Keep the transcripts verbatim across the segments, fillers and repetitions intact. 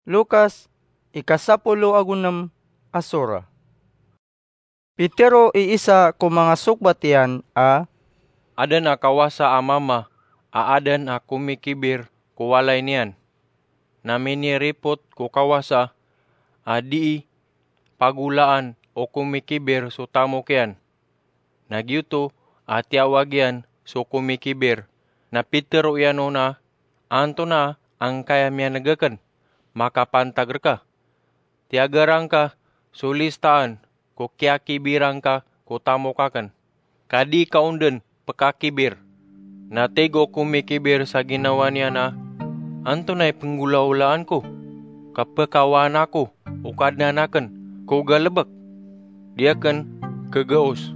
Lukas, ika sapolo ago nem a sora. Pitero i isa ko manga sokbat iyan a, Aden a kawasa a mama a aden a komikibir ko walay niyan, na miniripot ko kawasa a dii pagolaan o komikibir so tamok iyan. Na giyoto a tiyawag iyan so komikibir, na pitero iyan on a, Antonaa angkaya miyaneg aken? Makapantag reka. Tiyagaran ka so listaan ko kiyakibiran ka ko tamok aken, ka di ka on den pekakibir. Na tig o komikibir sa ginawa niyan a, Antonaa i penggolaolaan ko, ka pekawaan ako o Kadnan aken ko galebek? Di aken kegaos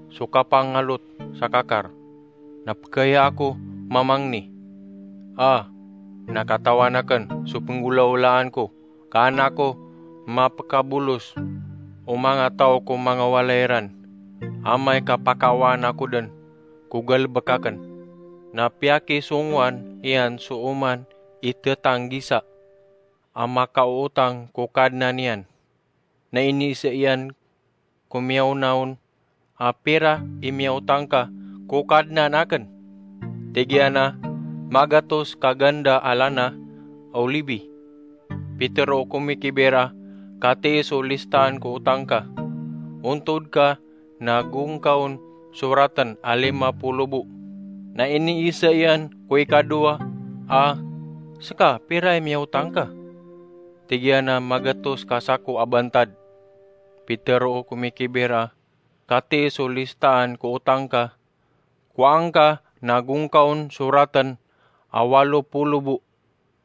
so kapangalot sa kakar, na pekaya ako mamangni. A, na katawan aken so penggolaolaan ko, ka an ako mapekabolos o manga taw ko manga walay iran, amay ka pakawaan ako den ko galebek aken. Na piyakisongowan iyan so oman i tetanggisa a makaootang ko kadnan iyan. Na iniisa iyan ko miyaona on a, Pira i miyaotang ka ko kadnan aken? Tig iyan a, Magatos ka ganda a lana a olibi. Pitero o komikibir a, Katii so listaan ko otang ka. Ontod ka na go ngka on soraten a lima polo bo. Na iniisa iyan ko ikadowa a, Seka, pira i miyaotang ka? Tig iyan a, Magatos ka sako a bantad. Pitero o komikibir a, Katii so listaan ko otang ka. Kowaa ngka na go ngka on soraten a walo polo bo.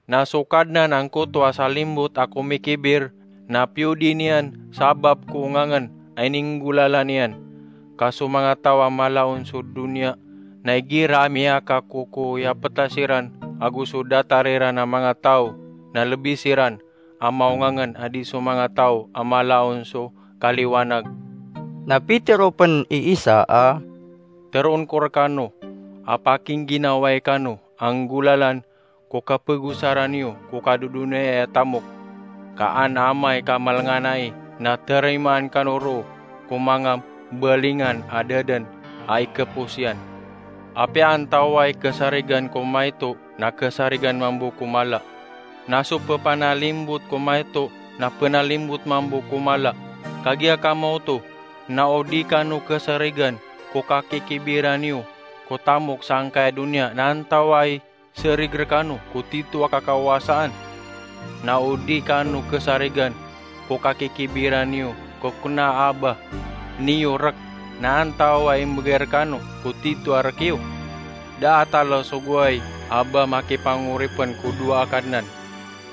Na so kadnan angkoto a salimbot a komikibir na piyodi niyan sabap ko ongangen a ininggolalan iyan. Ka so manga taw a mala on so doniya na igira a miyakakokoyapeta siran ago so datar iran a manga taw na lebi siran a maongangen a di so manga taw a mala on so kaliwanag. Na pitero pen i Isa a, Teroon ko rekano a pakingginawai kano a nggolalan ko kapegosaran iyo ko kadodonaya a tamok, ka an amay ka malenganai na terimaan kano roo ko manga balingan a dadan a ikepos iyan. Apiya antawaa i kesarigan ko maito na kesarigan mambo ko mala, na so pepanalimbot ko maito na penalimbot mambo ko mala. Kagiya kamaoto na o di kano kesarigan ko kakikibiran iyo ko tamok sangkaya doniya, na antawaa i serig rekano ko tito a kakawasaan? Na o di kano kesarigan ko kakikibiran iyo ko kena a aba niyo rek, na antawaa i mbegay rekano ko tito a rek iyo? Da a talo so goway a ba makipangoripen ko dowa a kadnan,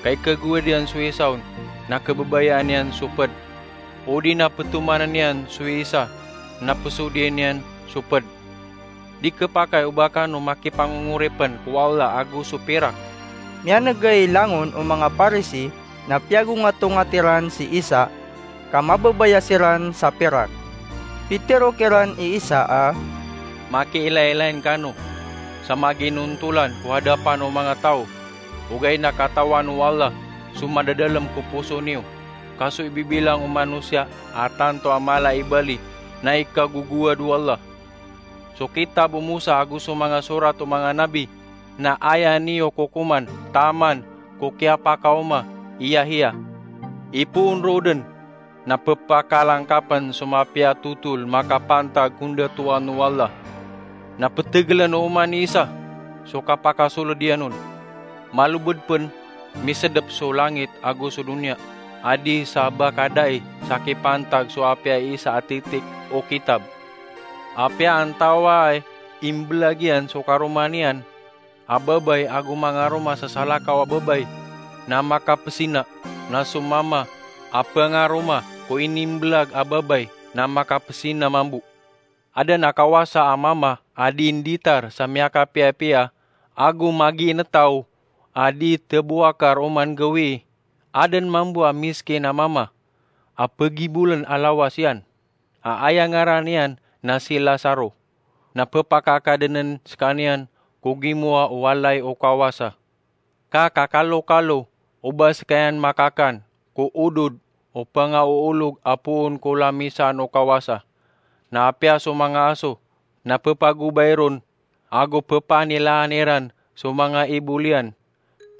ka ikegowad iyan so isa on na kebebayaan iyan so ped, odi na petomanen iyan so isa na pesodiyen iyan so ped. Di kepakay o ba kano makipangongoripen ko Allah ago so pirak. Miyanegay langon o manga Parisi na piyagongatongat iran si Isa ka mababaya siran sa pirak. Pitero kiran i Isa a, Makiilaylayin kano sa maginontolan ko hadapan o manga taw, ogaid na katawan o Allah so madadalem ko poso niyo. Ka so ibibilang o manosiya a tanto a mala i bali na ikagogowad o Allah. So kitab o Mosa ago so manga sorat o manga nabi na aya niyo kokoman taman ko kiyapakaoma i Yahiya. Ipoon roo den na pepakalangkapen so mapiya a totol makapantag ko ndatoan o Allah. Na petegelen o oman i Isa so kapakasoled iyan on. Malobed pen misedep so langit ago so doniya, a di sa ba kadai sa kipantag so apiya isa a titik o kitab. Apiya antawaa i imbelag iyan so karoma niyan a babay ago mangaroma sa salakaw a babay na makapesina, na so mama a pengaroma ko inimbelag a babay na makapesina mambo. Aden a kawasa a mama a di nditar sa miyakapiyapiya ago magiinetaw a di tebowakar oman gawii. Aden mambo a miskin a mama a pegibolen a lawas iyan a aya ngaran iyan na si Lazaro, na pepakakadenen sekaniyan ko gimowa o walay o kawasa. Ka kakalokalo o ba skaniyan makakan ko odod o pangaoolog a poon ko lamisan o kawasa. Na apiya so manga aso na pepagobay ron ago pepanilaan iran so manga ibol iyan.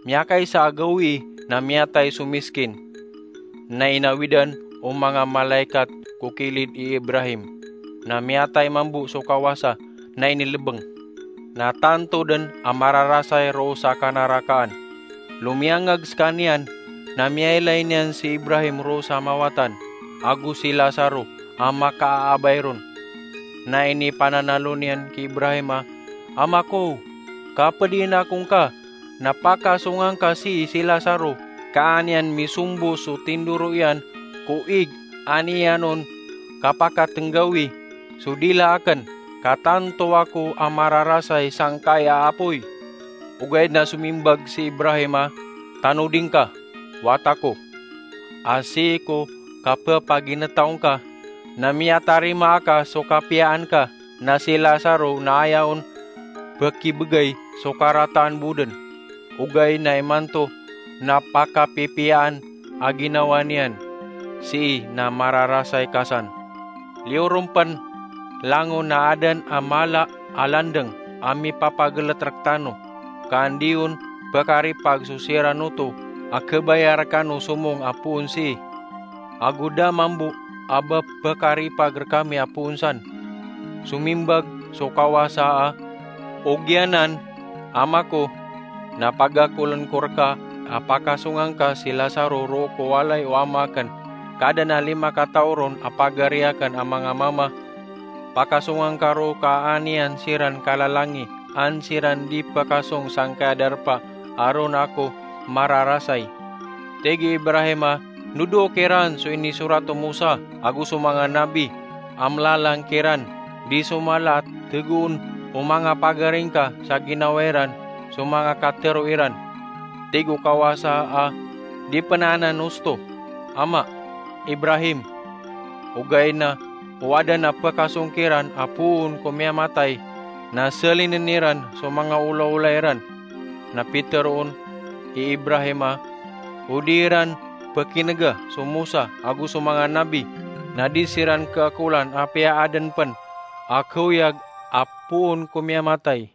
Miyakaisa a gawii na miyatay so miskin, na inawidan o manga malaikat ko kilid i Ibrahim, na miyatay mambo so kawasa na inilebeng. Na tanto den a mararasay roo sa kanarakaan. Lomiyangag skaniyan na miyailay niyan si Ibrahim roo sa mawatan, ago si Lazaro a makaaabay ron. Na inipananalo niyan ki Ibrahim a, "Ama ko, kapediin ako ngka, na pakasonga ngka sii si Lazaro, ka an iyan misombo so tindoro iyan ko ig an iyan on kapakatenggawi so dila aken, ka tanto ako a mararasay sangkai a apoy." Ogaid na somimbag si Ibrahim a, "Tanodi ngka, wata ko, a sii ko kapepaginetaw ngka, na miyatarima aka so kapiyaan ka, na si Lazaro na aya on pekibegay so karataan bo den. Ogaid na imanto na pakapipiyaan a ginawa niyan sii na mararasay ka san. Liyo ron pen langon a aden a mala a landeng a mipapagelet rektano, ka an di on pekaripag so siran oto a kebaya rekano somong a poon sii, ago da mambo a ba pekaripag rekami a poon san." Somimbag so kawasa a, "Ogiyanan, ama ko, na pagakolen ko reka a pakasonga ngka si Lazaro roo ko walay o ama aken, ka aden a lima kataw ron a pagari aken a manga mama. Pakasonga ngka roo ka an iyan siran kalalangi, an siran di pekasong sangkai a darpa a ron ako mararasay." Tig i Ibrahim a, "Nodoo kiran so inisorat o Mosa ago so manga nabi a mlalang kiran di so mala a tegoon o manga pagari ngka sa ginawa iran so manga katero iran." Tig o kawasa a, "Di pen anan osto, ama, Ibrahim." Ogaid na o aden a pekasong kiran a poon ko miyamatay, na selinen iran so manga olaola iran. Na piteroon i Ibrahim a, o di iran pekinega so Mosa ago so manga nabi, na di siran keakolan apiya aden pen a kaoyag a poon ko miyamatay.